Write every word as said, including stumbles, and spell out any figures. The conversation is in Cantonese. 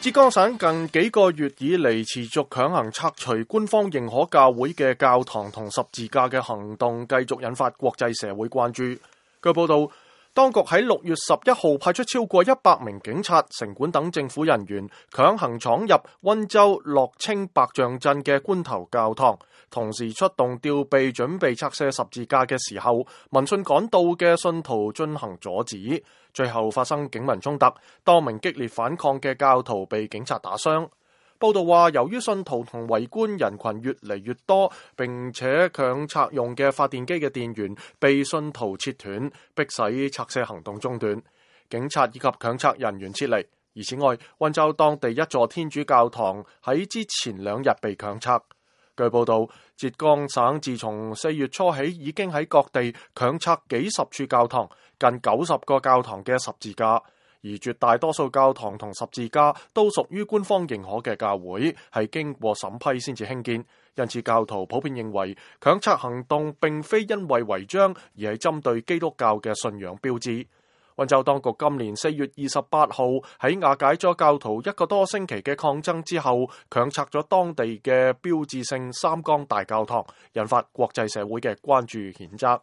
浙江省近幾個月以嚟持續強行拆除官方認可教會嘅教堂同十字架嘅行動，繼續引發國際社會關注。據報道，當局喺六月十一號派出超過一百名警察、城管等政府人員，強行闖入溫州樂清白象鎮嘅觀頭教堂，同時出動吊臂準備拆卸十字架嘅時候，民信趕到嘅信徒進行阻止，最後發生警民衝突，多名激烈反抗嘅教徒被警察打傷。報道話，由於信徒同圍觀人群越嚟越多，並且強拆用嘅發電機嘅電源被信徒切斷，迫使拆卸行動中斷，警察以及強拆人員撤離。而此外，溫州當地一座天主教堂喺之前兩日被強拆。據報道，浙江省自從四月初起已經喺各地強拆幾十處教堂，近九十個教堂嘅十字架。而絕大多數教堂同十字架都屬於官方認可嘅教會，係經過審批先至興建，因此教徒普遍認為強拆行動並非因為違章，而係針對基督教嘅信仰標誌。溫州當局今年四月二十八號喺瓦解咗教徒一個多星期嘅抗爭之後，強拆咗當地嘅標誌性三江大教堂，引發國際社會嘅關注譴責。